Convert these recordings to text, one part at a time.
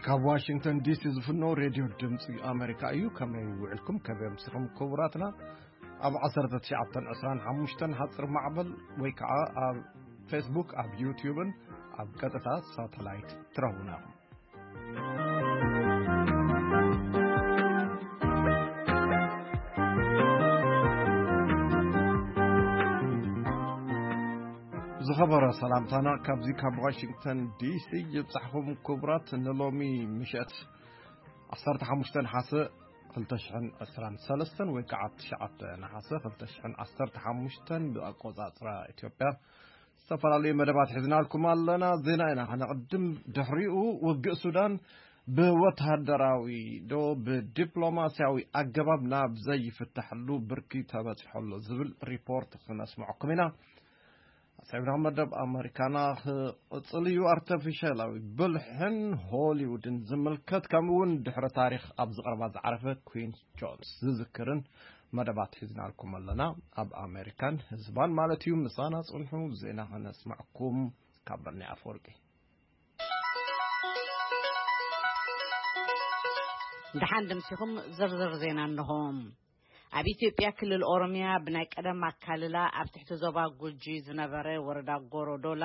ካብ ዋሽንግተን ዲሲ ዝፍኖ ሬድዮ ድምፂ ኣሜሪካ እዩ። ከመይ ውዕልኩም? ከመይ ኣምሲኹም ክቡራትና? ኣብ ዓሰርተ ትሽዓተን ዕስራን ሓሙሽተን ሓፂር ማዕበል ወይ ከዓ ኣብ ፌስቡክ፣ ኣብ ዩትዩብን ኣብ ቀጥታ ሳተላይት ትረኽቡና ኢኹም። ዝኸበረ ሰላምታና ካብዚ ካብ ዋሽንግተን ዲሲ ይብጻሕኹም ክቡራት። ንሎሚ ምሸት ዓሰርተ ሓሙሽተ ነሓሰ ክልተ ሽሕን ዕስራን ሰለስተን ወይ ከዓ ትሽዓተ ነሓሰ ክልተ ሽሕን ዓሰርተ ሓሙሽተን ብኣቆጻጽራ ኢትዮጵያ ዝተፈላለዩ መደባት ሒዝናልኩም ኣለና። ዜና ኢና ከነቕድም። ድሕሪኡ ውግእ ሱዳን ብወተሃደራዊ ዶ ብዲፕሎማስያዊ ኣገባብ ናብ ዘይፍታሕሉ ብርኪ ተበጺሖ ኣሎ ዝብል ሪፖርት ክነስምዐኩም ኢና። ሰሚና መደብ ኣመሪካና ክቕጽል እዩ። ኣርተፊሻላዊ ብልሕን ሆሊውድን ዝምልከት፣ ከምኡ እውን ድሕሪ ታሪኽ ኣብ ዝቐረባ ዝዓረፈ ኩዊን ጆንስ ዝዝክርን መደባት ሒዝናልኩም ኣለና። ኣብ ኣሜሪካን ህዝባን ማለት እዩ። ምሳና ጽንሑ፣ ዜና ከነስምዐኩም ካብ በርኒ ኣፈወርቂ። ደሓን ደምሲኹም ዝርዝር ዜና እንሆ። ኣብ ኢትዮጵያ ክልል ኦሮሚያ ብናይ ቀደም ኣካልላ ኣብ ትሕቲ ዞባ ጉጂ ዝነበረ ወረዳ ጎሮዶላ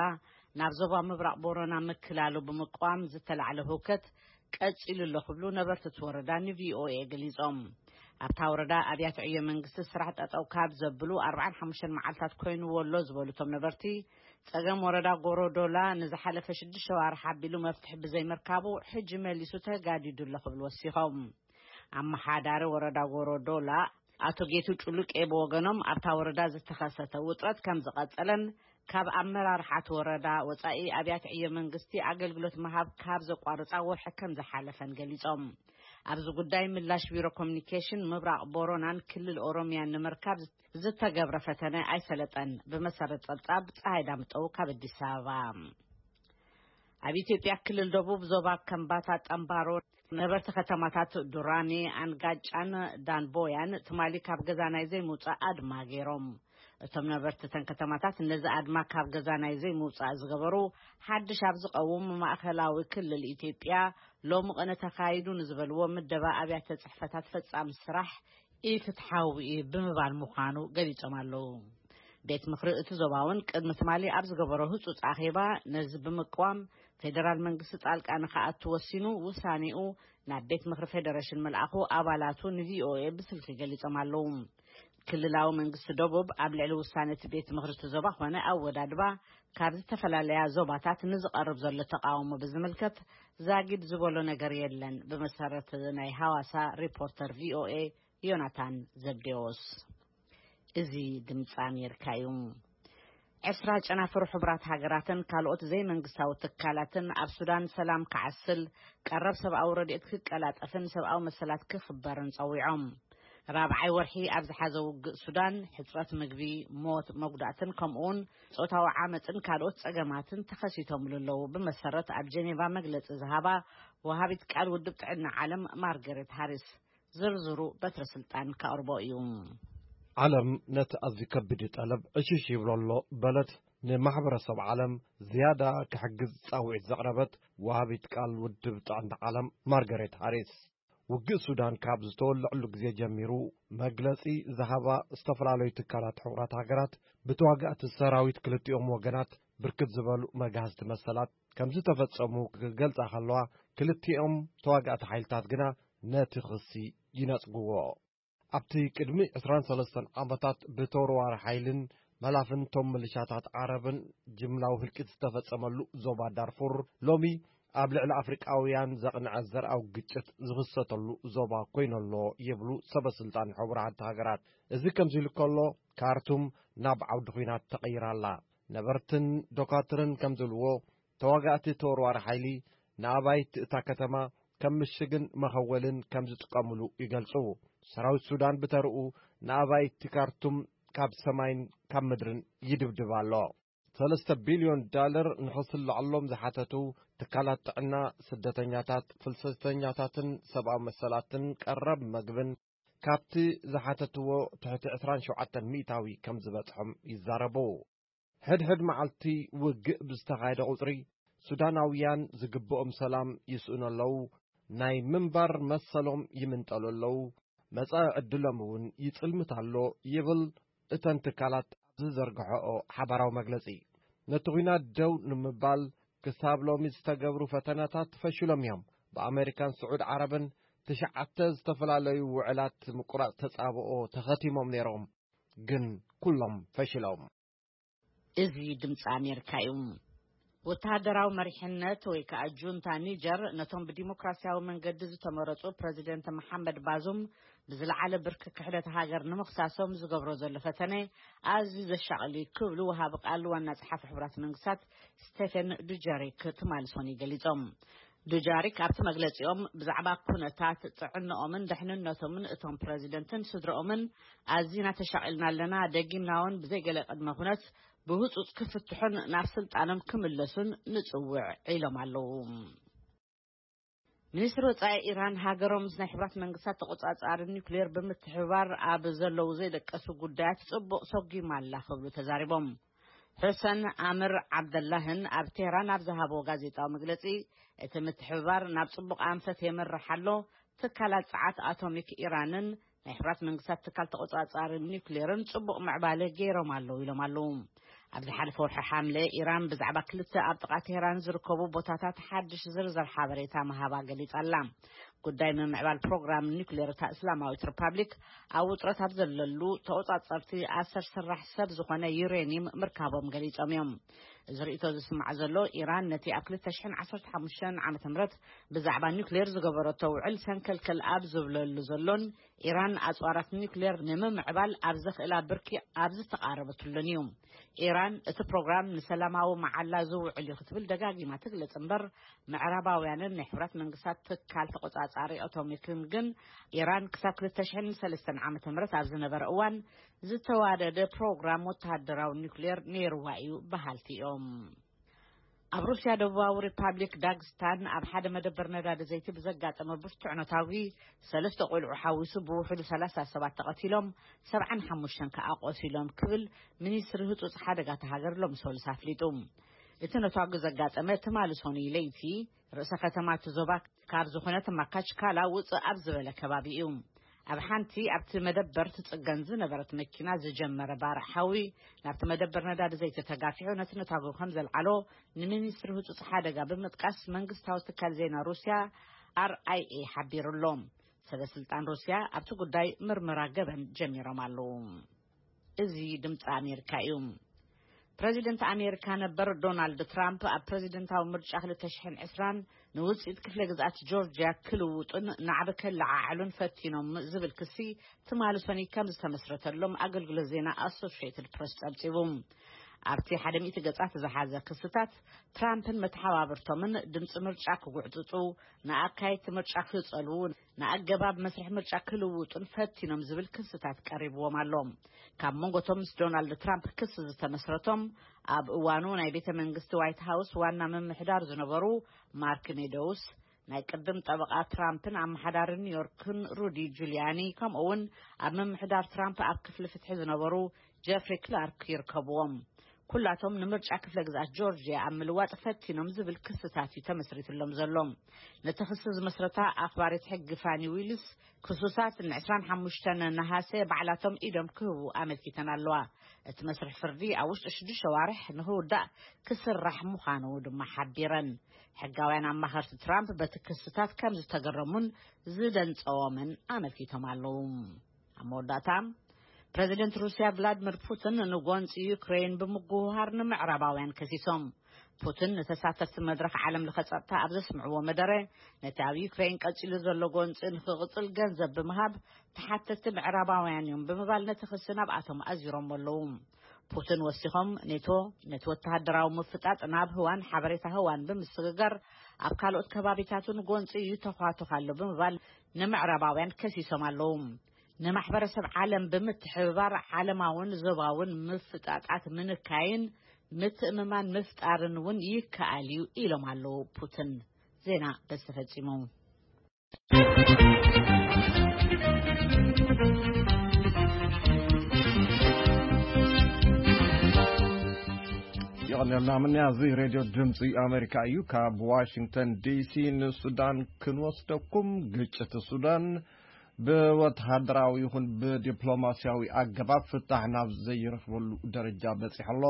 ናብ ዞባ ምብራቕ ቦረና ምክላሉ ብምቋም ዝተላዕለ ህውከት ቀጺሉ ኣሎ ክብሉ ነበርቲ እቲ ወረዳ ንቪኦኤ ገሊጾም። ኣብታ ወረዳ ኣብያተ ዕዮ መንግስቲ ስራሕ ጠጠው ካብ ዘብሉ ኣርባዓን ሓሙሽተን መዓልታት ኮይኑዎ ኣሎ ዝበሉ እቶም ነበርቲ፣ ጸገም ወረዳ ጎሮዶላ ንዝሓለፈ ሽዱሽተ ዋርሕ ኣቢሉ መፍትሒ ብዘይምርካቡ ሕጂ መሊሱ ተጋዲዱ ኣሎ ክብሉ ወሲኾም። ኣመሓዳሪ ወረዳ ጎሮዶላ ኣቶ ጌቱ ጩሉቄ ብወገኖም፣ ኣብታ ወረዳ ዝተኸሰተ ውጥረት ከም ዝቐጸለን ካብ ኣመራርሓ እቲ ወረዳ ወጻኢ ኣብያተ ዕዮ መንግስቲ ኣገልግሎት ምሃብ ካብ ዘቋርጻ ወርሒ ከም ዝሓለፈን ገሊጾም። ኣብዚ ጉዳይ ምላሽ ቢሮ ኮሚኒኬሽን ምብራቕ ቦሮናን ክልል ኦሮሚያን ንምርካብ ዝተገብረ ፈተነ ኣይሰለጠን። ብመሰረት ጸብጻብ ጸሃይ ዳምጠው ካብ ኣዲስ ኣበባ። ኣብ ኢትዮጵያ ክልል ደቡብ ዞባ ከምባታ ጠምባሮ ነበርቲ ከተማታት ዱራሜ፣ ኣንጋጫን ዳንቦያን ትማሊ ካብ ገዛ ናይ ዘይምውጻእ ኣድማ ገይሮም። እቶም ነበርቲ እተን ከተማታት ነዚ ኣድማ ካብ ገዛ ናይ ዘይምውጻእ ዝገበሩ ሓድሽ ኣብ ዝቐውም ማእኸላዊ ክልል ኢትዮጵያ ሎሚ ቅነ ተኻይዱ ንዝበልዎ ምደባ ኣብያተ ጽሕፈታት ፈጻሚ ስራሕ ኢፍትሓዊ እዩ ብምባል ምዃኑ ገሊጾም ኣለዉ። ቤት ምኽሪ እቲ ዞባ እውን ቅድሚ ትማሊ ኣብ ዝገበሮ ህጹጽ ኣኼባ ነዚ ብምቅዋም ፌደራል መንግስቲ ጣልቃ ንኽኣቱ ወሲኑ ውሳኔኡ ናብ ቤት ምኽሪ ፌደሬሽን ምልኣኹ ኣባላቱ ንቪኦኤ ብስልኪ ገሊጾም ኣለዉ። ክልላዊ መንግስቲ ደቡብ ኣብ ልዕሊ ውሳነ እቲ ቤት ምኽሪ እቲ ዞባ ኾነ ኣወዳድባ ካብ ዝተፈላለያ ዞባታት ንዝቐርብ ዘሎ ተቃውሞ ብዝምልከት ዛጊድ ዝበሎ ነገር የለን። ብመሰረት ናይ ሃዋሳ ሪፖርተር ቪኦኤ ዮናታን ዘብዴዎስ። እዚ ድምፂ ኣሜሪካ እዩ። ዕስራ ጨናፍር ሕቡራት ሃገራትን ካልኦት ዘይመንግስታዊ ትካላትን ኣብ ሱዳን ሰላም ክዓስል፣ ቀረብ ሰብኣዊ ረድኤት ክቀላጠፍን ሰብኣዊ መሰላት ክኽበርን ጸዊዖም። ራብዓይ ወርሒ ኣብ ዝሓዘ ውግእ ሱዳን፣ ሕጽረት ምግቢ፣ ሞት፣ መጉዳእትን ከምኡውን ጾታዊ ዓመጽን ካልኦት ጸገማትን ተኸሲቶምሉ ኣለዉ። ብመሰረት ኣብ ጀኔቫ መግለጺ ዝሃባ ወሃቢት ቃል ውድብ ጥዕና ዓለም ማርገሬት ሃሪስ፣ ዝርዝሩ በትረ ስልጣን ከቕርቦ እዩ። ዓለም ነቲ ኣዝዩ ከቢድ ጠለብ ዕሽሽ ይብሎ ኣሎ በለት። ንማሕበረሰብ ዓለም ዝያዳ ክሕግዝ ጻውዒት ዘቕረበት ወሃቢት ቃል ውድብ ጥዕና ዓለም ማርገሬት ሃሪስ፣ ውግእ ሱዳን ካብ ዝተወልዐሉ ግዜ ጀሚሩ መግለጺ ዝሃባ ዝተፈላለዩ ትካላት ሕቡራት ሃገራት፣ ብተዋጋእቲ ሰራዊት ክልቲኦም ወገናት ብርክት ዝበሉ መጋህዝቲ መሰላት ከም ዝተፈጸሙ ክገልጻ ከለዋ፣ ክልቲኦም ተዋጋእቲ ሓይልታት ግና ነቲ ክሲ ይነጽግዎ። ኣብቲ ቅድሚ ዕስራን ሰለስተን ዓመታት ብተወርዋሪ ሓይልን መላፍንቶም ምልሻታት ዓረብን ጅምላዊ ህልቂት ዝተፈጸመሉ ዞባ ዳርፉር፣ ሎሚ ኣብ ልዕሊ ኣፍሪቃውያን ዘቕንዐ ዘርኣዊ ግጭት ዝኽሰተሉ ዞባ ኮይኑ'ሎ ይብሉ ሰበ ስልጣን ሕቡራት ሃገራት። እዚ ከምዚ ኢሉ ከሎ፣ ካርቱም ናብ ዓውዲ ኲናት ተቐይራ ኣላ። ነበርትን ዶካትርን ከም ዝብልዎ፣ ተዋጋእቲ ተወርዋሪ ሓይሊ ንኣባይቲ እታ ከተማ ከም ምሽግን መኸወልን ከም ዝጥቀምሉ ይገልጹ። ሰራዊት ሱዳን ብተርኡ ንኣባይቲ ካርቱም ካብ ሰማይን ካብ ምድርን ይድብድብ ኣሎ። ሰለስተ ቢልዮን ዳለር ንኽስልዐሎም ዝሓተቱ ትካላት ጥዕና፣ ስደተኛታት፣ ፍልሰተኛታትን ሰብኣዊ መሰላትን ቀረብ መግብን ካብቲ ዝሓተትዎ ትሕቲ ዕስራን ሸውዓተን ሚእታዊ ከም ዝበጽሖም ይዛረቡ። ሕድሕድ መዓልቲ ውግእ ብዝተኻየደ ቁጽሪ፣ ሱዳናውያን ዝግብኦም ሰላም ይስእኑ ኣለዉ፣ ናይ ምንባር መሰሎም ይምንጠሉ ኣለዉ፣ መጻኢ ዕድሎም እውን ይጽልምት ኣሎ ይብል እተን ትካላት ኣብ ዝዘርግሐኦ ሓባራዊ መግለጺ። ነቲ ኲናት ደው ንምባል ክሳብ ሎሚ ዝተገብሩ ፈተነታት ፈሽሎም እዮም። ብኣመሪካን ስዑድ ዓረብን ትሽዓተ ዝተፈላለዩ ውዕላት ምቁራጽ ተጻብኦ ተኸቲሞም ነይሮም፣ ግን ኩሎም ፈሽሎም። እዚ ድምፂ ኣሜሪካ እዩ። ወተሃደራዊ መሪሕነት ወይ ከዓ ጁንታ ኒጀር ነቶም ብዲሞክራሲያዊ መንገዲ ዝተመረፁ ፕረዚደንት መሓመድ ባዙም ብዝለዓለ ብርኪ ክሕደት ሃገር ንምኽሳሶም ዝገብሮ ዘሎ ፈተነ ኣዝዩ ዘሻቕል እዩ ክብሉ ወሃቢ ቃል ዋና ጸሓፊ ሕቡራት መንግስታት ስቴፈን ዱጀሪክ ትማሊ ሰኑይ ገሊጾም። ዱጃሪክ ኣብቲ መግለጺኦም ብዛዕባ ኩነታት ጥዕንኦምን ድሕንነቶምን እቶም ፕረዚደንትን ስድረኦምን ኣዚና ተሻቒልና ኣለና፣ ደጊምና እውን ብዘይገለ ቅድመ ኩነት ብህጹጽ ክፍትሑን ናብ ስልጣኖም ክምለሱን ንጽውዕ ኢሎም ኣለዉ። ሚኒስትሪ ወጻኢ ኢራን ሃገሮም ምስ ናይ ሕብራት መንግስታት ተቆጻጻሪ ኒውክሌር ብምትሕብባር ኣብ ዘለዉ ዘይደቀሱ ጉዳያት ጽቡቕ ሰጒማ ኣላ ክብሉ ተዛሪቦም። ሑሰን ኣምር ዓብደላህን ኣብ ቴህራን ኣብ ዝሃቦ ጋዜጣዊ መግለጺ፣ እቲ ምትሕብባር ናብ ጽቡቕ ኣንፈት የምርሕ ኣሎ፣ ትካላት ጸዓት ኣቶሚክ ኢራንን ናይ ሕብራት መንግስታት ትካል ተቆጻጻሪ ኒውክሌርን ጽቡቕ ምዕባለ ገይሮም ኣለዉ ኢሎም ኣለዉ። ኣብ ዝሓለፈ ወርሒ ሓምለ ኢራን ብዛዕባ ክልተ ኣብ ጥቓ ቴህራን ዝርከቡ ቦታታት ሓድሽ ዝርዝር ሓበሬታ ምሃባ ገሊጻ ኣላ። ጉዳይ ምምዕባል ፕሮግራም ኒውክሌር እታ እስላማዊት ሪፓብሊክ ኣብ ውጥረት ኣብ ዘለሉ ተቆጻጸርቲ ኣሰር ስራሕ ሰብ ዝኾነ ዩሬኒየም ምርካቦም ገሊጾም እዮም። እዚ ርእይቶ ዝስማዕ ዘሎ ኢራን ነቲ ኣብ ክልተ ሽሕን ዓሰርተ ሓሙሽተን ዓመተ ምህረት ብዛዕባ ኒውክሌር ዝገበረቶ ውዕል ሰንከልከል ኣብ ዝብለሉ ዘሎን ኢራን ኣጽዋራት ኒውክሌር ንምምዕባል ኣብ ዘኽእላ ብርኪ ኣብ ዝተቓረበትሉን እዩ። ኢራን እቲ ፕሮግራም ንሰላማዊ መዓላ ዝውዕል እዩ ክትብል ደጋጊማ ትግለጽ እምበር፣ ምዕራባውያንን ናይ ሕብራት መንግስታት ትካል ተቆጻጻሪ ኣቶሚክን ግን ኢራን ክሳብ ክልተ ሽሕን ሰለስተን ዓመተ ምህረት ኣብ ዝነበረ እዋን ዝተዋደደ ፕሮግራም ወተሃደራዊ ኒውክሌር ነይርዋ እዩ በሃልቲ እዮም። ኣብ ሩስያ ደቡባዊ ሪፓብሊክ ዳግስታን ኣብ ሓደ መደበር ነዳዲ ዘይቲ ብዘጋጠመ ብርቱዕ ነታጒ ሰለስተ ቆልዑ ሓዊሱ ብውሕዱ ሰላሳ ሰባት ተቐቲሎም፣ ሰብዓን ሓሙሽተን ከኣ ቆሲሎም ክብል ሚኒስትሪ ህጹጽ ሓደጋታ ሃገር ሎሚ ሰሉስ ኣፍሊጡ። እቲ ነታጒ ዘጋጠመ ትማሊ ሰኑይ ለይቲ ርእሰ ከተማ እቲ ዞባ ካብ ዝኾነት ማካችካላ ውጽእ ኣብ ዝበለ ከባቢ እዩ። ኣብ ሓንቲ ኣብቲ መደበር ትጽገን ዝነበረት መኪና ዝጀመረ ባርዕ ሓዊ ናብቲ መደበር ነዳዲ ዘይቲ ተጋፊሑ ነቲ ነታጒ ከም ዘልዓሎ ንሚኒስትሪ ህጹጽ ሓደጋ ብምጥቃስ መንግስታዊ ትካል ዜና ሩስያ ኣር ኣይ ኤ ሓቢሩ ኣሎ። ሰበ ስልጣን ሩስያ ኣብቲ ጉዳይ ምርመራ ገበን ጀሚሮም ኣለዉ። እዚ ድምፂ ኣሜሪካ እዩ። ፕረዚደንት ኣሜሪካ ነበር ዶናልድ ትራምፕ ኣብ ፕረዚደንታዊ ምርጫ ክልተ ሽሕን ዕስራን ንውፅኢት ክፍለ ግዝኣት ጆርጅያ ክልውጡን ናዕቢ ከለዓዕሉን ፈቲኖም ዝብል ክሲ ትማሊ ሰኑይ ከም ዝተመስረተሎም ኣገልግሎት ዜና ኣሶሽየትድ ፕረስ ጸብጺቡ። ኣብቲ ሓደ ሚእቲ ገጻት ዝሓዘ ክስታት ትራምፕን መተሓባብርቶምን ድምፂ ምርጫ ክጉዕጽጹ፣ ንኣካየድቲ ምርጫ ክጸልዉ፣ ንኣገባብ መስርሕ ምርጫ ክልውጡን ፈቲኖም ዝብል ክስታት ቀሪብዎም ኣሎ። ካብ መንጎቶም ምስ ዶናልድ ትራምፕ ክሲ ዝተመስረቶም ኣብ እዋኑ ናይ ቤተ መንግስቲ ዋይት ሃውስ ዋና ምምሕዳር ዝነበሩ ማርክ ሜዶውስ፣ ናይ ቅድም ጠበቓ ትራምፕን ኣመሓዳሪ ኒውዮርክን ሩዲ ጁሊያኒ፣ ከምኡ እውን ኣብ ምምሕዳር ትራምፕ ኣብ ክፍሊ ፍትሒ ዝነበሩ ጀፍሪ ክላርክ ይርከብዎም። ኩላቶም ንምርጫ ክፍለ ግዝኣት ጆርጅያ ኣብ ምልዋጥ ፈቲኖም ዝብል ክስታት እዩ ተመስሪትሎም ዘሎ። ነቲ ክሲ ዝመስረታ ኣኽባሪት ሕጊ ፋኒ ዊልስ፣ ክሱሳት ን ዕስራን ሓሙሽተን ነሃሰ ባዕላቶም ኢዶም ክህቡ ኣመልኪተን ኣለዋ። እቲ መስርሕ ፍርዲ ኣብ ውሽጢ ሽዱሽተ ኣዋርሕ ንኽውዳእ ክስራሕ ምዃኑ ድማ ሓቢረን። ሕጋውያን ኣማኸርቲ ትራምፕ በቲ ክስታት ከም ዝተገረሙን ዝደንጸዎምን ኣመልኪቶም ኣለዉ። ኣብ መወዳእታ፣ ፕረዚደንት ሩስያ ቭላድሚር ፑቲን ንጎንፂ ዩክሬን ብምጉህሃር ንምዕራባውያን ከሲሶም። ፑቲን ንተሳተፍቲ መድረኽ ዓለም ለኸ ጸጥታ ኣብ ዘስምዕዎ መደረ፣ ነቲ ኣብ ዩክሬን ቀጺሉ ዘሎ ጎንፂ ንኽቕጽል ገንዘብ ብምሃብ ተሓተትቲ ምዕራባውያን እዮም ብምባል ነቲ ክሲ ናብኣቶም ኣዚሮም ኣለዉ። ፑቲን ወሲኾም፣ ኔቶ ነቲ ወተሃደራዊ ምፍጣጥ ናብ ህዋን ሓበሬታ ህዋን ብምስግጋር ኣብ ካልኦት ከባቢታት እውን ጎንፂ ይተዃቶኽ ኣሎ ብምባል ንምዕራባውያን ከሲሶም ኣለዉ። ንማሕበረሰብ ዓለም ብምትሕብባር ዓለማውን ዞባውን ምፍጣጣት ምንካይን ምትእምማን ምፍጣርን እውን ይከኣል እዩ ኢሎም ኣለዉ ፑቲን። ዜና በዚ ተፈጺሙ። የቐንየልና ምንያ፣ እዚ ሬድዮ ድምፂ ኣሜሪካ እዩ። ካብ ዋሽንግተን ዲሲ ንሱዳን ክንወስደኩም። ግጭት ሱዳን ብወተሃደራዊ ይኹን ብዲፕሎማሲያዊ ኣገባብ ፍታሕ ናብ ዘይረኽበሉ ደረጃ በፂሑ ኣሎ።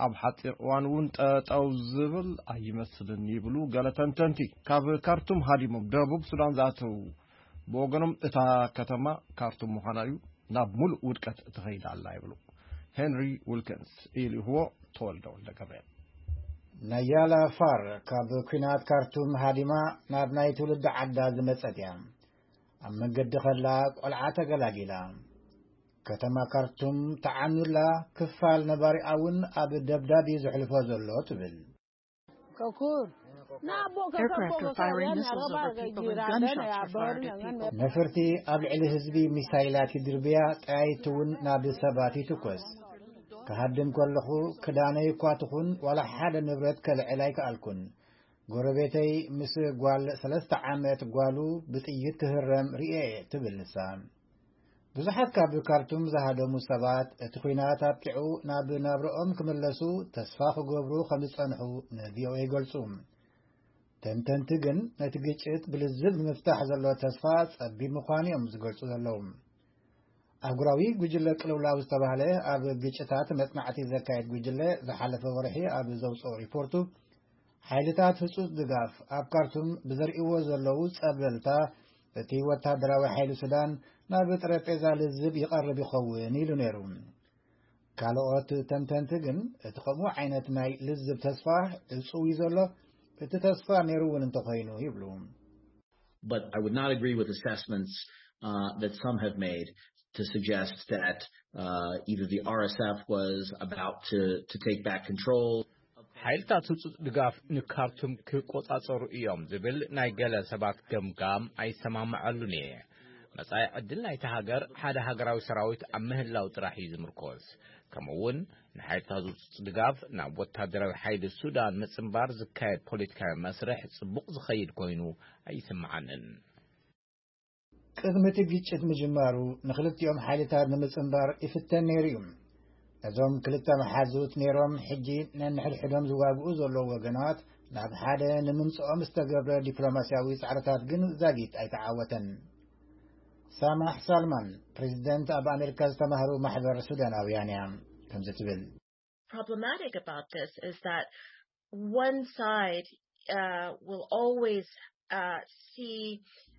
ኣብ ሓፂር እዋን እውን ጠጠው ዝብል ኣይመስልን ይብሉ ገለ ተንተንቲ። ካብ ካርቱም ሃዲሞም ደቡብ ሱዳን ዝኣተው ብወገኖም፣ እታ ከተማ ካርቱም ምዃና እዩ ናብ ሙሉእ ውድቀት ትኸይድ ኣላ ይብሉ። ሄንሪ ዊልኪንስ ኢልይኽዎ። ተወልደ ወልደ ገብርኤል። ናያላ ፋር ካብ ኲናት ካርቱም ሃዲማ ናብ ናይ ትውልዲ ዓዳ ዝመጸት እያ። ኣብ መገዲ ከላ ቆልዓ ተገላጊላ። ከተማ ካርቱም ተዓኑላ፣ ክፋል ነባሪኣ እውን ኣብ ደብዳብ እዩ ዘሕልፎ ዘሎ ትብል። Aircraft are firing missiles over people and gunshots are fired at people. ነፈርቲ ኣብ ልዕሊ ህዝቢ ሚሳይላት ይድርብያ፣ ጠያይቲ እውን ናብ ሰባት ይትኮስ። ክሃድም ከለኹ ክዳነይ እኳ ትኹን ዋላ ሓደ ንብረት ከልዕል ኣይከኣልኩን። ጎረቤተይ ምስ ጓል ሰለስተ ዓመት ጓሉ ብጥይት ክህረም ርእየ እየ ትብል ንሳ። ብዙሓት ካብ ካርቱም ዝሃደሙ ሰባት እቲ ኲናት ኣብቂዑ ናብ ናብርኦም ክምለሱ ተስፋ ክገብሩ ከም ዝጸንሑ ን ቪ ኦ ኤ ይገልጹ። ተንተንቲ ግን ነቲ ግጭት ብልዝብ ንምፍታሕ ዘሎ ተስፋ ጸቢብ ምዃኑ እዮም ዝገልጹ ዘለዉ። ኣህጉራዊ ጉጅለ ቅልውላው ዝተባህለ ኣብ ግጭታት መጽናዕቲ ዘካየድ ጉጅለ ዝሓለፈ ወርሒ ኣብ ዘውጽኦ ሪፖርቱ፣ ሓይልታት ህጹጽ ድጋፍ ኣብ ካርቱም ብዘርእይዎ ዘለዉ ጸብለልታ፣ እቲ ወታደራዊ ሓይሊ ሱዳን ናብ ጠረጴዛ ልዝብ ይቐርብ ይኸውን ኢሉ ነይሩ። ካልኦት ተንተንቲ ግን እቲ ከምኡ ዓይነት ናይ ልዝብ ተስፋ ዕጹው እዩ ዘሎ፣ እቲ ተስፋ ነይሩ እውን እንተኾይኑ ይብሉ። But I would not agree with assessments uh, that some have made to suggest that uh, either the R S F was about to, to take back control. ሓይልታት ህጹጽ ድጋፍ ንካርቱም ክቆጻጸሩ እዮም ዝብል ናይ ገለ ሰባት ገምጋም ኣይሰማምዐሉን እየ። መጻኢ ዕድል ናይታ ሃገር ሓደ ሃገራዊ ሰራዊት ኣብ ምህላው ጥራሕ እዩ ዝምርኮስ። ከምኡ እውን ንሓይልታት ህጹጽ ድጋፍ ናብ ወታደራዊ ሓይሊ ሱዳን ምጽንባር ዝካየድ ፖለቲካዊ መስርሕ ጽቡቕ ዝኸይድ ኮይኑ ኣይስምዓንን። ቅድሚ እቲ ግጭት ምጅማሩ ንኽልቲኦም ሓይልታት ንምጽንባር ይፍተን ነይሩ እዩ። ነዞም ክልተ መሓዙት ነይሮም ሕጂ ነንሕድሕዶም ዝዋግኡ ዘለዉ ወገናት ናብ ሓደ ንምምጽኦም ዝተገብረ ዲፕሎማስያዊ ጻዕርታት ግን ዛጊት ኣይተዓወተን። ሳማሕ ሳልማን፣ ፕሬዚደንት ኣብ ኣሜሪካ ዝተማህሩ ማሕበር ሱዳናውያን እያ፣ ከምዚ ትብል። Problematic about this is that one side uh, will always uh, see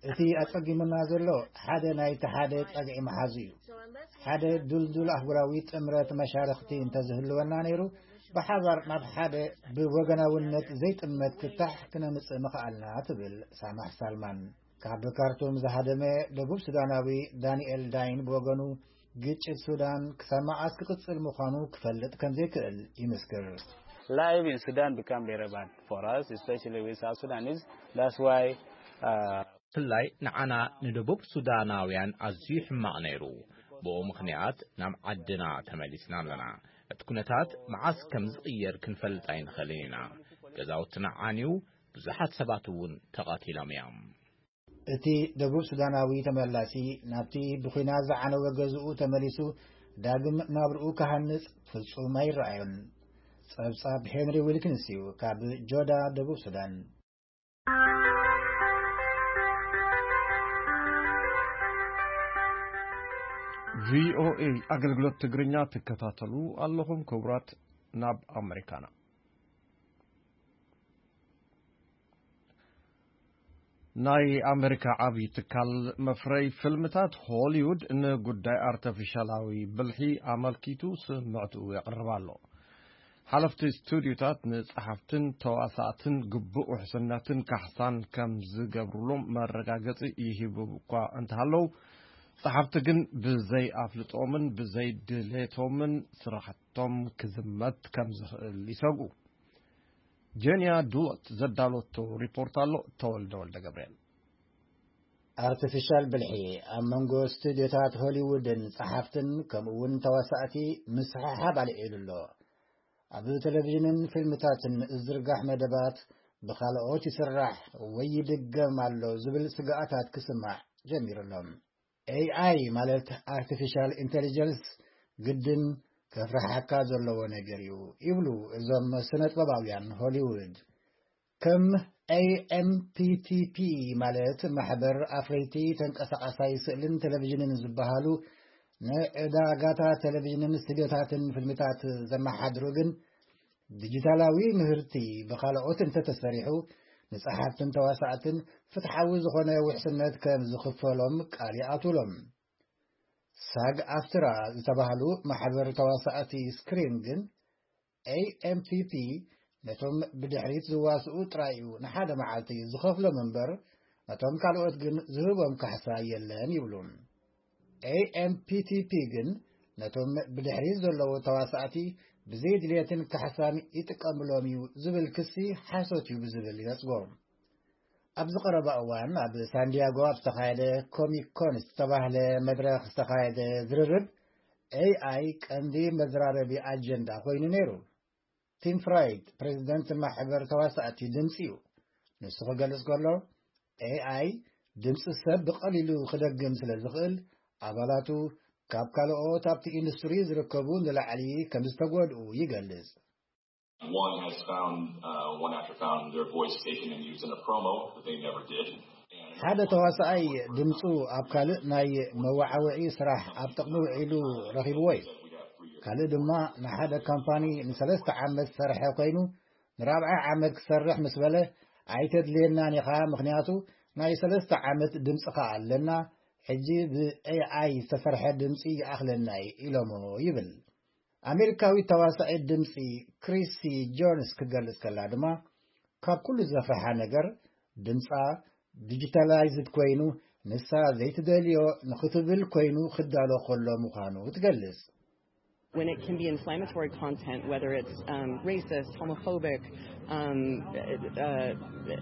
እቲ ኣጸጊሙና ዘሎ ሓደ ናይቲ ሓደ ጸግዒ መሓዙ እዩ። ሓደ ዱልዱል ኣህጉራዊ ጥምረት መሻርኽቲ እንተዝህልወና ነይሩ፣ ብሓባር ናብ ሓደ ብወገናውነት ዘይጥመት ፍታሕ ክነምጽእ ምኽኣልና ትብል ሳማሕ ሳልማን። ካብ ካርቱም ዝሃደመ ደቡብ ሱዳናዊ ዳንኤል ዳይን ብወገኑ፣ ግጭት ሱዳን ክሳብ መዓስ ክቕጽል ምዃኑ ክፈልጥ ከም ዘይክእል ይምስክር። Life in Sudan become very bad for us, especially with South Sudanese. That's why uh, ብፍላይ ንዓና ንደቡብ ሱዳናውያን ኣዝዩ ሕማቕ ነይሩ። ብኡ ምኽንያት ናብ ዓድና ተመሊስና ኣለና። እቲ ኩነታት መዓስ ከም ዝቕየር ክንፈልጥ ኣይንኽእልን ኢና። ገዛውትና ዓንዩ፣ ብዙሓት ሰባት እውን ተቐቲሎም እዮም። እቲ ደቡብ ሱዳናዊ ተመላሲ ናብቲ ብኲናት ዝዓነወ ገዝኡ ተመሊሱ ዳግም ናብርኡ ክሃንጽ ፍጹም ኣይረኣዮን። ጸብጻብ ሄንሪ ዊልኪንስ እዩ፣ ካብ ጆዳ፣ ደቡብ ሱዳን። ቪ ኦ ኤ ኣገልግሎት ትግርኛ ትከታተሉ ኣለኹም ክቡራት። ናብ ኣመሪካና። ናይ ኣመሪካ ዓብዪ ትካል መፍረይ ፊልምታት ሆሊውድ ንጉዳይ ኣርተፊሻላዊ ብልሒ ኣመልኪቱ ስምዕትኡ የቕርብ ኣሎ። ሓለፍቲ ስቱድዮታት ንጸሓፍትን ተዋሳእትን ግቡእ ውሕስነትን ካሕሳን ከም ዝገብሩሎም መረጋገጺ ይህቡ እኳ እንተሃለዉ፣ ጸሓፍቲ ግን ብዘይ ኣፍልጦምን ብዘይ ድሌቶምን ስራሕቶም ክዝመት ከም ዝኽእል ይሰግኡ። ጀንያ ዱሎት ዘዳለቶ ሪፖርት ኣሎ። ተወልደ ወልደ ገብርኤል። ኣርቲፊሻል ብልሒ ኣብ መንጎ ስቱድዮታት ሆሊውድን ጸሓፍትን ከምኡ እውን ተዋሳእቲ ምስሕሓብ ኣልዒሉ ኣሎ። ኣብ ቴሌቪዥንን ፊልምታትን ዝዝርጋሕ መደባት ብኻልኦት ይስራሕ ወይ ይድገም ኣሎ ዝብል ስግኣታት ክስማዕ ጀሚሩ ኣሎ። ኤ ኣይ ማለት ኣርቲፊሻል ኢንተሊጀንስ ግድን ከፍርሓካ ዘለዎ ነገር እዩ ይብሉ እዞም ስነጥበባውያን ሆሊውድ። ከም AMPTP ማለት ማሕበር ኣፍረይቲ ተንቀሳቓሳይ ስእልን ቴሌቪዥንን ዝበሃሉ ንዕዳጋታ ቴሌቪዥንን ስቱዲዮታትን ፊልምታት ዘመሓድሩ ግን ዲጂታላዊ ምህርቲ ብኻልኦት እንተተሰሪሑ ንጸሓፍትን ተዋሳእትን ፍትሓዊ ዝኾነ ውሕስነት ከም ዝኽፈሎም ቃል ይኣትውሎም። ሳግ ኣፍትራ ዝተባህሉ ማሕበር ተዋሳእቲ ስክሪን ግን AMPP ነቶም ብድሕሪት ዝዋስኡ ጥራይ እዩ ንሓደ መዓልቲ ዝኸፍሎም እምበር ነቶም ካልኦት ግን ዝህቦም ካሕሳ የለን ይብሉ። AMPTP ግን ነቶም ብድሕሪት ዘለዉ ተዋሳእቲ ብዘይ ድልየትን ካሕሳን ይጥቀምሎም እዩ ዝብል ክሲ ሓሶት እዩ ብዝብል ይነጽጎ። ኣብዚ ቀረባ እዋን ኣብ ሳንዲያጎ ኣብ ዝተኻየደ ኮሚክ ኮን ዝተባህለ መድረኽ ዝተኻየደ ዝርርብ AI ቀንዲ መዘራረቢ ኣጀንዳ ኮይኑ ነይሩ። ቲም ፍራይድ ፕሬዚደንት ማሕበር ተዋሳእቲ ድምፂ እዩ። ንሱ ክገልጽ ከሎ AI ድምፂ ሰብ ብቐሊሉ ክደግም ስለ ዝኽእል ኣባላቱ ካብ ካልኦት ኣብቲ ኢንዱስትሪ ዝርከቡ ንላዕሊ ከም ዝተጎድኡ ይገልጽ። One has found, uh, one actor found their voice taken and used in a promo that they never did. ሓደ ተዋሳኣይ ድምፁ ኣብ ካልእ ናይ መወዓውዒ ስራሕ ኣብ ጥቕሚ ውዒሉ ረኺብዎ እዩ። ካልእ ድማ ንሓደ ካምፓኒ ንሰለስተ ዓመት ዝሰርሐ ኮይኑ ንራብዓይ ዓመት ክሰርሕ ምስ በለ ኣይተድልየናን ኢኻ፣ ምኽንያቱ ናይ ሰለስተ ዓመት ድምፅኻ ኣለና፣ ሕጂ ብ AI ዝተሰርሐ ድምፂ ይኣኽለና እዩ ኢሎሞ ይብል። ኣሜሪካዊት ተዋሳኢት ድምፂ ክሪሲ ጆንስ ክገልጽ ከላ ድማ ካብ ኩሉ ዘፍርሓ ነገር ድምፃ ዲጂታላይዝድ ኮይኑ ንሳ ዘይትደልዮ ንኽትብል ኮይኑ ክዳሎ ከሎ ምዃኑ ትገልጽ። When it can be inflammatory content, whether it's um, racist, homophobic, um, uh,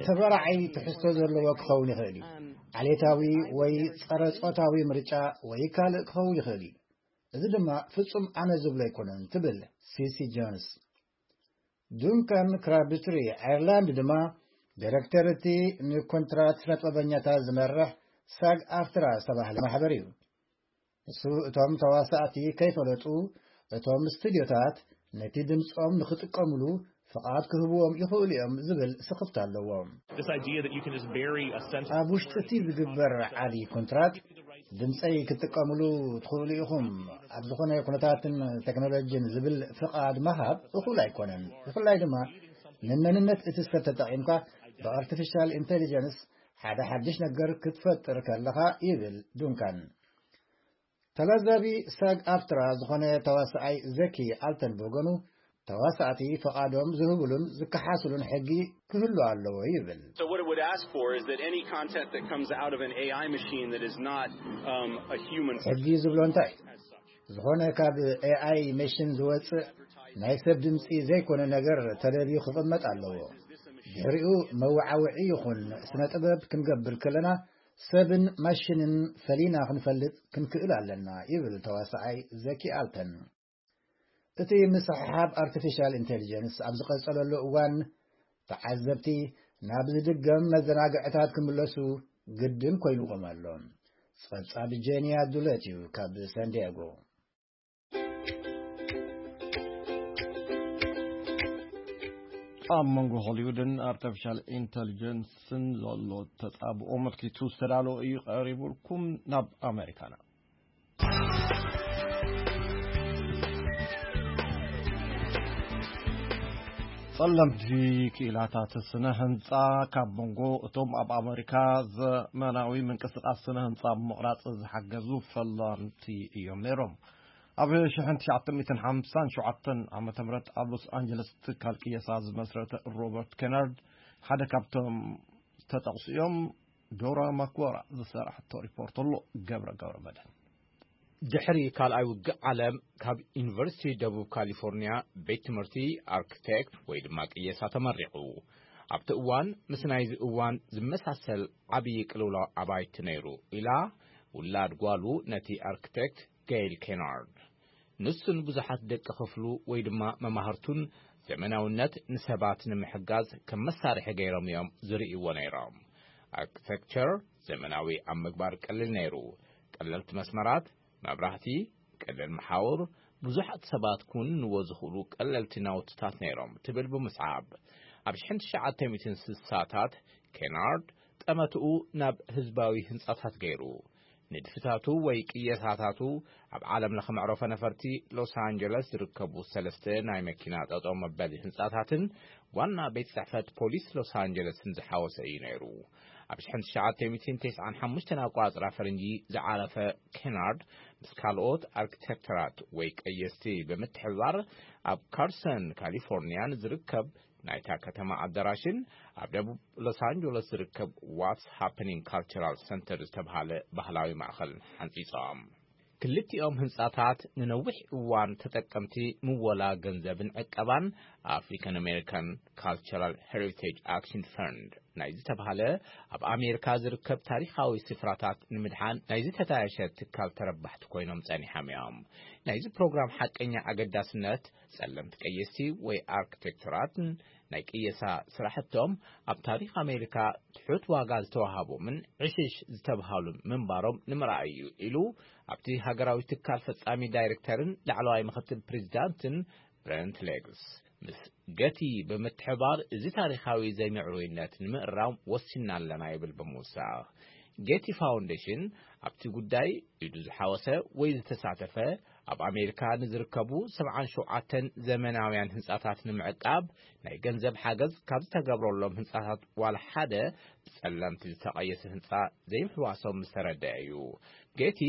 ተበራዓይ ትሕዝቶ ዘለዎ ክኸውን ይኽእል እዩ። ዓሌታዊ ወይ ጸረ ጾታዊ ምርጫ ወይ ካልእ ክኸውን ይኽእል እዩ። እዚ ድማ ፍጹም ኣነ ዝብሎ ኣይኮነን ትብል ሲሲ ጆንስ። ዱንካን ክራብትሪ ኣየርላንድ ድማ ዳይረክተር እቲ ንኮንትራት ስነጥበበኛታት ዝመርሕ ሳግ ኣፍትራ ዝተባህለ ማሕበር እዩ። ንሱ እቶም ተዋሳእቲ ከይፈለጡ እቶም ስቱዲዮታት ነቲ ድምፆም ንኽጥቀምሉ ፍቓድ ክህብዎም ይኽእሉ እዮም ዝብል ስኽፍታ ኣለዎ። This idea that you can just bury a sentence. ኣብ ውሽጢ እቲ ዝግበር ዓቢ ኮንትራት ድምፀይ ክትጥቀምሉ ትኽእሉ ኢኹም ኣብ ዝኾነ ኩነታትን ቴክኖሎጂን ዝብል ፍቓድ ምሃብ እኹል ኣይኮነን። ብፍላይ ድማ ንመንነት እቲ ሰብ ተጠቒምካ ብኣርቲፊሻል ኢንቴሊጀንስ ሓደ ሓድሽ ነገር ክትፈጥር ከለኻ ይብል ዱንካን። ተላዛቢ ሳግ ኣፍትራ ዝኾነ ተዋሳኣይ ዘኪ ኣልተን ብወገኑ ተዋሳእቲ ፈቓዶም ዝህብሉን ዝከሓስሉን ሕጊ ክህሉ ኣለዎ ይብል። So what it would ask for is that any content that comes out of an A I machine that is not um, a human ሕጊ ዝብሎ እንታይ ዝኾነ ካብ AI መሽን ዝወፅእ ናይ ሰብ ድምፂ ዘይኮነ ነገር ተደልዩ ክቕመጥ ኣለዎ። ድሕሪኡ መወዓውዒ ይኹን ስነ ጥበብ ክንገብር ከለና ሰብን ማሽንን ፈሊና ክንፈልጥ ክንክእል ኣለና ይብል ተዋሳኣይ ዘኪ ኣልተን። እቲ ምስሕሓብ ኣርቲፊሻል ኢንቴሊጀንስ ኣብ ዝቐጸለሉ እዋን ተዓዘብቲ ናብ ዝድገም መዘናግዕታት ክምለሱ ግድን ኮይኑዎም ኣሎ። ጸብጻብ ጄንያ ዱለት እዩ ካብ ሳንዲያጎ። ኣብ መንጎ ሆሊውድን ኣርቲፊሻል ኢንተሊጀንስን ዘሎ ተጻብኦ ኣመልኪቱ ዝተዳለወ እዩ ቀሪቡልኩም። ናብ ኣሜሪካና። ጸለምቲ ክኢላታት ስነ ህንጻ ካብ መንጎ እቶም ኣብ ኣሜሪካ ዘመናዊ ምንቅስቃስ ስነ ህንጻ ምቕራጽ ዝሓገዙ ፈላምቲ እዮም ነይሮም። ኣብ ሽሕን ትሽዓተ ሚእትን ሓምሳን ሸውዓተን ዓመተ ምህረት ኣብ ሎስ ኣንጀለስ ትካል ቅየሳ ዝመስረተ ሮበርት ኬናርድ ሓደ ካብቶም ዝተጠቕሱ እዮም። ዶራ ማክወራ ዝሰራሕቶ ሪፖርት ኣሎ። ገብረ ገብረ መድህን። ድሕሪ ካልኣይ ውግእ ዓለም ካብ ዩኒቨርሲቲ ደቡብ ካሊፎርኒያ ቤት ትምህርቲ ኣርክቴክት ወይ ድማ ቅየሳ ተመሪቑ። ኣብቲ እዋን ምስ ናይዚ እዋን ዝመሳሰል ዓብዪ ቅልውላው ኣባይቲ ነይሩ ኢላ ውላድ ጓሉ ነቲ ኣርክቴክት ገይል ኬናርድ። ንሱን ብዙሓት ደቂ ክፍሉ ወይ ድማ መማህርቱን ዘመናውነት ንሰባት ንምሕጋዝ ከም መሳርሒ ገይሮም እዮም ዝርእይዎ ነይሮም። ኣርክቴክቸር ዘመናዊ ኣብ ምግባር ቀሊል ነይሩ። ቀለልቲ መስመራት፣ መብራህቲ፣ ቀለል መሓውር፣ ብዙሓት ሰባት ክውንንዎ ዝኽእሉ ቀለልቲ ናውትታት ነይሮም ትብል ብምስዓብ፣ ኣብ ሽሕን ትሽዓተ ሚእትን ስሳታት ኬናርድ ጠመትኡ ናብ ህዝባዊ ህንጻታት ገይሩ። ንድፍታቱ ወይ ቅየሳታቱ ኣብ ዓለም ለኸ መዕረፎ ነፈርቲ ሎስ ኣንጀለስ ዝርከቡ ሰለስተ ናይ መኪና ጠጠው መበሊ ህንጻታትን ዋና ቤት ጽሕፈት ፖሊስ ሎስ ኣንጀለስን ዝሓወሰ እዩ ነይሩ። ኣብ ሽሕን ትሽዓተ ሚእትን ተስዓን ሓሙሽተን ኣቋጽራ ፈረንጂ ዝዓረፈ ኬናርድ ምስ ካልኦት ኣርኪቴክተራት ወይ ቀየስቲ ብምትሕብባር ኣብ ካርሰን ካሊፎርኒያ ንዝርከብ ናይታ ከተማ ኣዳራሽን ኣብ ደቡብ ሎስ ኣንጀለስ ዝርከብ ዋትስ ሃፕኒንግ ካልቸራል ሰንተር ዝተብሃለ ባህላዊ ማእኸልን ሓንጺጾም። ክልቲኦም ህንጻታት ንነዊሕ እዋን ተጠቀምቲ ምወላ ገንዘብን ዕቀባን ኣፍሪካን ኣሜሪካን ካልቸራል ሄሪቴጅ ኣክሽን ፈንድ ናይ ዝተብሃለ ኣብ ኣሜሪካ ዝርከብ ታሪኻዊ ስፍራታት ንምድሓን ናይ ዝተታየሸ ትካል ተረባሕቲ ኮይኖም ጸኒሖም እዮም። ናይዚ ፕሮግራም ሓቀኛ ኣገዳስነት ጸለምቲ ቀየስቲ ወይ ኣርክቴክቶራትን ናይ ቅየሳ ስራሕቶም ኣብ ታሪኽ ኣሜሪካ ትሑት ዋጋ ዝተዋሃቦምን ዕሽሽ ዝተብሃሉ ምንባሮም ንምርኣይ እዩ ኢሉ ኣብቲ ሃገራዊ ትካል ፈጻሚ ዳይሬክተርን ላዕለዋይ ምክትል ፕሬዚዳንትን ብረንት ሌግስ ምስ ገቲ ብምትሕባር እዚ ታሪኻዊ ዘይምዕሩይነት ንምእራም ወሲና ኣለና ይብል ብምውሳኽ። ጌቲ ፋውንዴሽን ኣብቲ ጉዳይ ኢዱ ዝሓወሰ ወይ ዝተሳተፈ ኣብ ኣሜሪካ ንዝርከቡ ሰብዓን ሸውዓተን ዘመናውያን ህንጻታት ንምዕቃብ ናይ ገንዘብ ሓገዝ ካብ ዝተገብረሎም ህንጻታት ዋላ ሓደ ብጸለምቲ ዝተቐየሰ ህንጻ ዘይምሕዋሶም ምስ ተረደአ እዩ። ጌቲ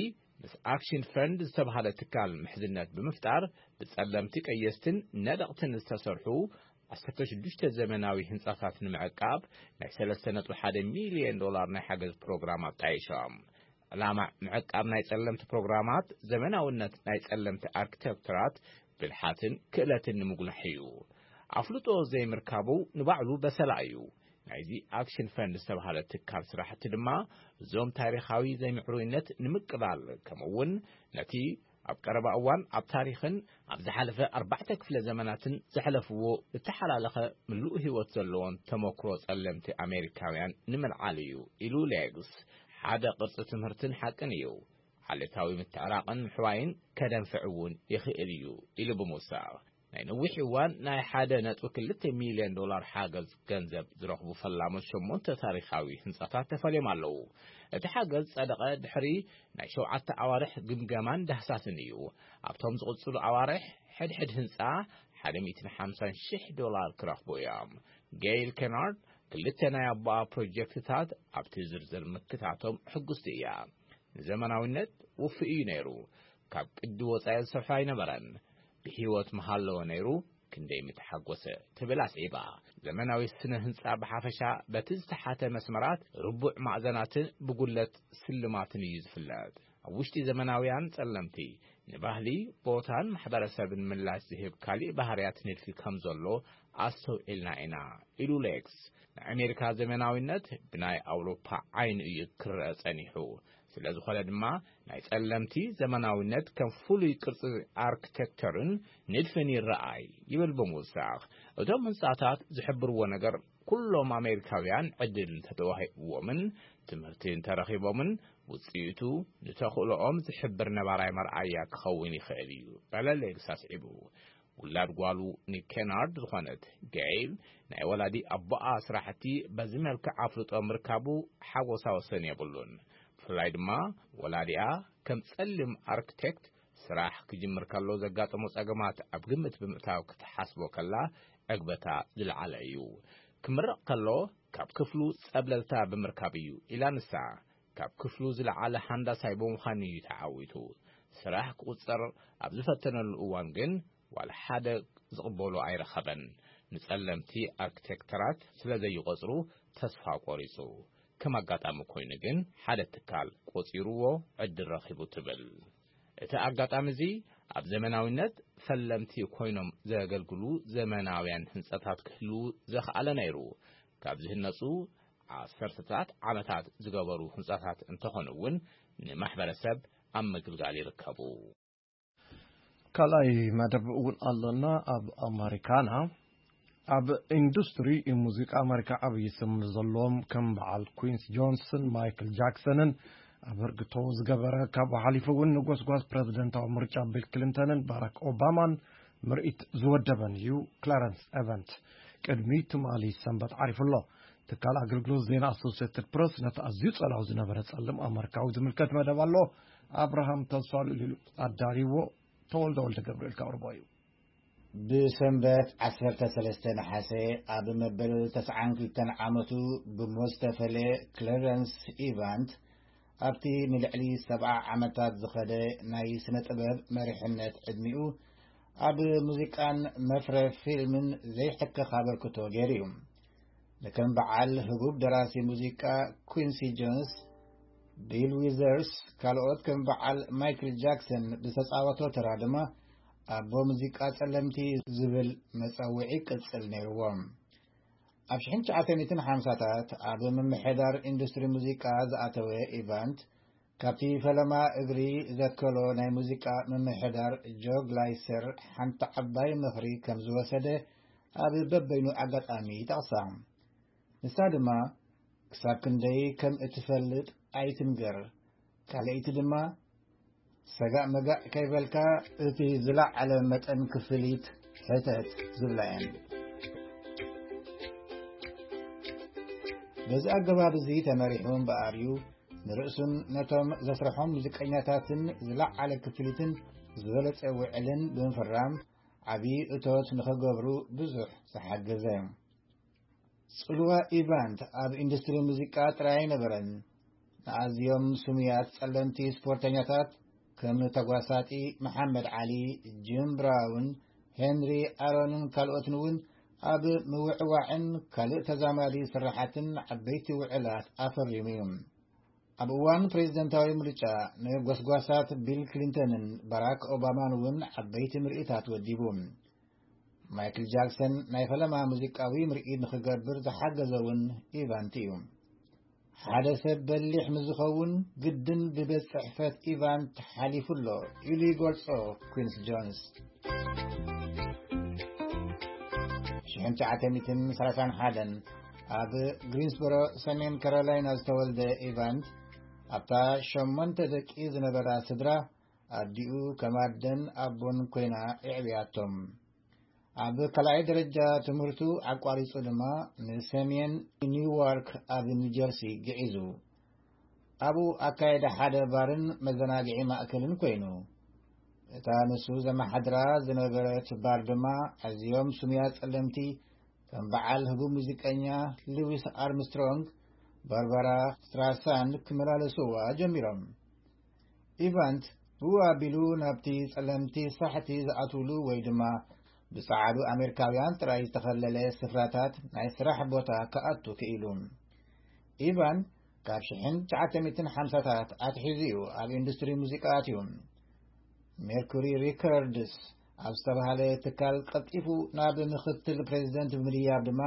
ምስ ኣክሽን ፈንድ ዝተባህለ ትካል ምሕዝነት ብምፍጣር ብጸለምቲ ቀየስትን ነደቕትን ዝተሰርሑ ዓሰርተ ሽዱሽተ ዘመናዊ ህንጻታት ንምዕቃብ ናይ ሰለስተ ነጥቢ ሓደ ሚልዮን ዶላር ናይ ሓገዝ ፕሮግራም ኣጣይሾም። ዕላማ ምዕቃብ ናይ ጸለምቲ ፕሮግራማት ዘመናውነት ናይ ጸለምቲ ኣርክቴክተራት ብልሓትን ክእለትን ንምጉላሕ እዩ። ኣፍልጦ ዘይምርካቡ ንባዕሉ በሰላ እዩ። ናይዚ ኣክሽን ፈንድ ዝተባህለ ትካል ስራሕቲ ድማ እዞም ታሪኻዊ ዘይምዕሩይነት ንምቅላል ከምኡ እውን ነቲ ኣብ ቀረባ እዋን ኣብ ታሪኽን ኣብ ዝሓለፈ ኣርባዕተ ክፍለ ዘመናትን ዘሕለፍዎ እተሓላለኸ ምሉእ ህይወት ዘለዎን ተመክሮ ጸለምቲ ኣሜሪካውያን ንምልዓል እዩ ኢሉ ሌግስ። ሓደ ቅርጺ ትምህርትን ሓቅን እዩ። ዓሌታዊ ምትዕራቕን ምሕዋይን ከደንፍዕ እውን ይኽእል እዩ ኢሉ ብምውሳኽ ናይ ነዊሕ እዋን ናይ ሓደ ነጥቢ ክልተ ሚልዮን ዶላር ሓገዝ ገንዘብ ዝረኽቡ ፈላሞት ሸሞንተ ታሪኻዊ ህንጻታት ተፈልዮም ኣለዉ። እቲ ሓገዝ ጸደቐ ድሕሪ ናይ ሸውዓተ ኣዋርሕ ግምገማን ዳህሳስን እዩ። ኣብቶም ዝቕጽሉ ኣዋርሕ ሕድሕድ ህንጻ ሓደ ሚእትን ሓምሳን ሽሕ ዶላር ክረኽቡ እዮም። ጌይል ኬናርድ ክልተ ናይ ኣቦኣ ፕሮጀክትታት ኣብቲ ዝርዝር ምክታቶም ሕጉስቲ እያ። ንዘመናዊነት ውፉይ እዩ ነይሩ። ካብ ቅዲ ወጻኢ ዝሰርሖ ኣይነበረን። ብህይወት ምሃለወ ነይሩ ክንደይ ምተሓጎሰ ትብል ኣስዒባ። ዘመናዊ ስነ ህንጻ ብሓፈሻ በቲ ዝተሓተ መስመራት ርቡዕ ማዕዘናትን ብጉለት ስልማትን እዩ ዝፍለጥ። ኣብ ውሽጢ ዘመናውያን ጸለምቲ ንባህሊ ቦታን ማሕበረሰብን ምላሽ ዝህብ ካሊእ ባህርያት ንድፊ ከም ዘሎ ኣስተውዒልና ኢና ኢሉ ሌክስ። ናይ ኣሜሪካ ዘመናዊነት ብናይ ኣውሮፓ ዓይኒ እዩ ክረአ ጸኒሑ። ስለ ዝኾነ ድማ ናይ ጸለምቲ ዘመናዊነት ከም ፍሉይ ቅርጺ ኣርክቴክቸርን ንድፍን ይረኣይ ይብል ብምውሳኽ። እቶም ህንጻታት ዝሕብርዎ ነገር ኩሎም ኣሜሪካውያን ዕድል እንተተዋሂብዎምን ትምህርቲ እንተረኺቦምን ውጽኢቱ ንተኽእሎኦም ዝሕብር ነባራይ መርኣያ ክኸውን ይኽእል እዩ በለ ሌክስ ኣስዒቡ። ውላድ ጓሉ ኒክ ኬናርድ ዝኾነት ገይል ናይ ወላዲ ኣቦኣ ስራሕቲ በዚ መልክዕ ኣፍልጦ ምርካቡ ሓጎሳ ወሰን የብሉን። ብፍላይ ድማ ወላዲኣ ከም ጸሊም ኣርክቴክት ስራሕ ክጅምር ከሎ ዘጋጠሞ ጸገማት ኣብ ግምት ብምእታው ክትሓስቦ ከላ ዕግበታ ዝለዓለ እዩ። ክምረቕ ከሎ ካብ ክፍሉ ጸብለልታ ብምርካብ እዩ ኢላ ንሳ። ካብ ክፍሉ ዝለዓለ ሃንዳሳይ ብምዃን እዩ ተዓዊቱ። ስራሕ ክቑጸር ኣብ ዝፈተነሉ እዋን ግን ዋላ ሓደ ዝቕበሎ ኣይረኸበን። ንጸለምቲ ኣርክቴክተራት ስለ ዘይቆጽሩ ተስፋ ቆሪጹ። ከም ኣጋጣሚ ኮይኑ ግን ሓደ ትካል ቆጺርዎ ዕድል ረኺቡ ትብል። እቲ ኣጋጣሚ እዚ ኣብ ዘመናዊነት ፈለምቲ ኮይኖም ዘገልግሉ ዘመናውያን ህንጻታት ክህልዉ ዘኽኣለ ነይሩ። ካብ ዝህነጹ ዓሰርተታት ዓመታት ዝገበሩ ህንጻታት እንተኾኑ እውን ንማሕበረሰብ ኣብ ምግልጋል ይርከቡ። ካልኣይ መደብ እውን ኣሎና። ኣብ ኣመሪካና ኣብ ኢንዱስትሪ ሙዚቃ ኣመሪካ ዓብዪ ስም ዘለዎም ከም በዓል ኩንስ ጆንስን ማይክል ጃክሰንን ኣበርግቶ ዝገበረ ካብኡ ሓሊፉ እውን ንጎስጓስ ፕረዚደንታዊ ምርጫ ቢል ክሊንተንን ባራክ ኦባማን ምርኢት ዝወደበን እዩ። ክላረንስ ኤቨንት ቅድሚ ትማሊ ሰንበት ዓሪፉ ኣሎ። ትካል ኣገልግሎት ዜና ኣሶሲየትድ ፕረስ ነቲ ኣዝዩ ጸላዊ ዝነበረ ጸልም ኣመሪካዊ ዝምልከት መደብ ኣሎ። ኣብርሃም ተስፋ ልዕሊሉ ኣዳልይዎ። ተወልደ ወልደ ገብርኤል ከቕርቦ እዩ። ብሰንበት ዓሰርተ ሰለስተ ነሓሰ ኣብ መበል ተስዓን ክልተን ዓመቱ ብሞት ዝተፈለየ ክለረንስ ኢቫንት ኣብቲ ንልዕሊ ሰብዓ ዓመታት ዝኸደ ናይ ስነ ጥበብ መሪሕነት ዕድሚኡ ኣብ ሙዚቃን መፍረ ፊልምን ዘይሕከኽ ኣበርክቶ ገይሩ እዩ። ንከም በዓል ህቡብ ደራሲ ሙዚቃ ኩንሲ ጆንስ፣ ቢል ዊዘርስ፣ ካልኦት ከም በዓል ማይክል ጃክሰን ብዝተጻወቶ ተራ ድማ ኣቦ ሙዚቃ ጸለምቲ ዝብል መጸውዒ ቅጽል ነይርዎም። ኣብ ሽሕን ትሽዓተ ሚእትን ሓምሳታት ኣብ ምምሕዳር ኢንዱስትሪ ሙዚቃ ዝኣተወ ኢቫንት፣ ካብቲ ፈለማ እግሪ ዘከሎ ናይ ሙዚቃ ምምሕዳር ጆ ግላይሰር ሓንቲ ዓባይ ምኽሪ ከም ዝወሰደ ኣብ በበይኑ ኣጋጣሚ ይጠቕሳ። ንሳ ድማ፣ "ክሳብ ክንደይ ከም እትፈልጥ ኣይትንገር፣ ካልኣይቲ ድማ፣ ሰጋእ መጋእ ከይበልካ እቲ ዝለዓለ መጠን ክፍሊት ሕተት" ዝብላ እየን። በዚ ኣገባብ እዚ ተመሪሑ እምበኣር እዩ ንርእሱን ነቶም ዘስርሖም ሙዚቀኛታትን ዝለዓለ ክፍሊትን ዝበለጸ ውዕልን ብምፍራም ዓቢ እቶት ንኸገብሩ ብዙሕ ዝሓገዘ። ጽልዋ ኢቫንት ኣብ ኢንዱስትሪ ሙዚቃ ጥራይ ኣይነበረን። ንኣዝዮም ስሙያት ጸለምቲ ስፖርተኛታት ከም ተጓሳጢ መሓመድ ዓሊ፣ ጂም ብራውን፣ ሄንሪ ኣሮንን ካልኦትን እውን ኣብ ምውዕዋዕን ካልእ ተዛማዲ ስራሓትን ዓበይቲ ውዕላት ኣፈሪሙ እዩ። ኣብ እዋን ፕሬዝደንታዊ ምርጫ ንጎስጓሳት ቢል ክሊንተንን ባራክ ኦባማን እውን ዓበይቲ ምርኢታት ወዲቡ። ማይክል ጃክሰን ናይ ፈለማ ሙዚቃዊ ምርኢት ንኽገብር ዝሓገዘ እውን ኢቫንት እዩ። "ሓደ ሰብ በሊሕ ምስ ዝኸውን ግድን ብቤት ጽሕፈት ኢቫንት ሓሊፉ ኣሎ" ኢሉ ይገልጾ ኩንስ ጆንስ። ሽሕን ትሽዓተ ሚእትን ሰላሳን ሓደን ኣብ ግሪንስቦሮ ሰሜን ካሮላይና ዝተወልደ ኢቫንት፣ ኣብታ ሸሞንተ ደቂ ዝነበራ ስድራ ኣዲኡ ከም ኣደን ኣቦን ኮይና የዕብያቶም። ኣብ ካልኣይ ደረጃ ትምህርቱ ኣቋሪጹ ድማ ንሰሜን ኒውዋርክ ኣብ ኒውጀርሲ ግዒዙ። ኣብኡ ኣካየደ ሓደ ባርን መዘናግዒ ማእከልን ኮይኑ። እታ ንሱ ዘመሓድራ ዝነበረት ባር ድማ ኣዝዮም ስሙያት ጸለምቲ ከም በዓል ህቡብ ሙዚቀኛ ሉዊስ ኣርምስትሮንግ፣ ባርባራ ስትራሳንድ ክመላለስዋ ጀሚሮም። ኢቫንት ብኡ ኣቢሉ ናብቲ ጸለምቲ ሳሕቲ ዝኣትውሉ ወይ ድማ ብጸዓዱ ኣሜሪካውያን ጥራይ ዝተኸለለ ስፍራታት ናይ ስራሕ ቦታ ክኣቱ ክኢሉ። ኢቫን ካብ ሽሕን ትሽዓተ ሚእትን ሓምሳታት ኣትሒዙ እዩ ኣብ ኢንዱስትሪ ሙዚቃ ኣትዩ። ሜርኩሪ ሪከርድስ ኣብ ዝተባህለ ትካል ቀልጢፉ ናብ ምኽትል ፕሬዚደንት ብምድያብ ድማ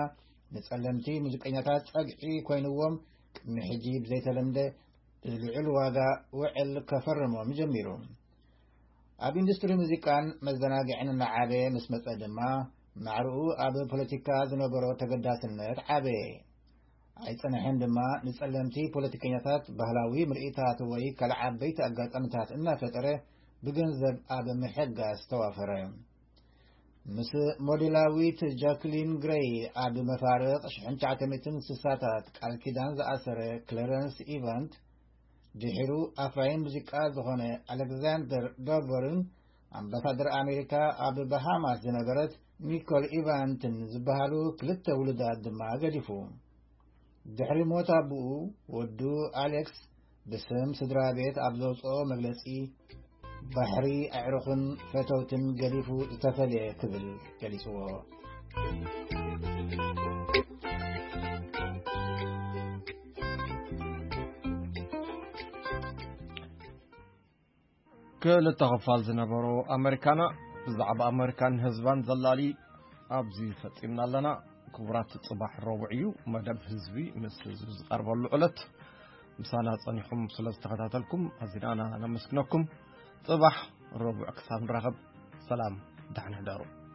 ንጸለምቲ ሙዚቀኛታት ጸግዒ ኮይንዎም፣ ቅድሚ ሕጂ ብዘይተለምደ ልዑል ዋጋ ውዕል ከፈርሞም ጀሚሩ። ኣብ ኢንዱስትሪ ሙዚቃን መዘናግዕን እናዓበየ ምስ መጸ ድማ ማዕርኡ ኣብ ፖለቲካ ዝነበሮ ተገዳስነት ዓበየ። ኣይጸንሐን ድማ ንጸለምቲ ፖለቲከኛታት ባህላዊ ምርኢታት ወይ ካልእ ዓበይቲ ኣጋጣሚታት እናፈጠረ ብገንዘብ ኣብ ምሕጋዝ ተዋፈረ። ምስ ሞዴላዊት ጃክሊን ግሬይ ኣብ መፋርቕ ሽሕን ትሽዓተ ሚእትን ስሳታት ቃል ኪዳን ዝኣሰረ ክለረንስ ኢቫንት፣ ድሒሩ ኣፍራዪ ሙዚቃ ዝኾነ ኣሌክዛንደር ዶቨርን ኣምባሳደር ኣሜሪካ ኣብ ባሃማስ ዝነበረት ኒኮል ኢቫንትን ዝበሃሉ ክልተ ውሉዳት ድማ ገዲፉ። ድሕሪ ሞት ኣቦኡ፣ ወዱ ኣሌክስ ብስም ስድራ ቤት ኣብ ዘውጽኦ መግለጺ፣ "ባሕሪ ኣዕሩኽን ፈተውትን ገዲፉ ዝተፈልየ" ክብል ገሊጽዎ። ክልተ ክፋል ዝነበሮ ኣመሪካና ብዛዕባ ኣመሪካን ህዝባን ዘላሊ ኣብዚ ፈጺምና ኣለና። ክቡራት፣ ጽባሕ ረቡዕ እዩ፣ መደብ ህዝቢ ምስ ህዝቢ ዝቐርበሉ ዕለት። ምሳና ጸኒኹም ስለ ዝተኸታተልኩም ኣዚና ነመስግነኩም። ጽባሕ ረቡዕ ክሳብ ንራኸብ፣ ሰላም፣ ደሕና ሕደሩ።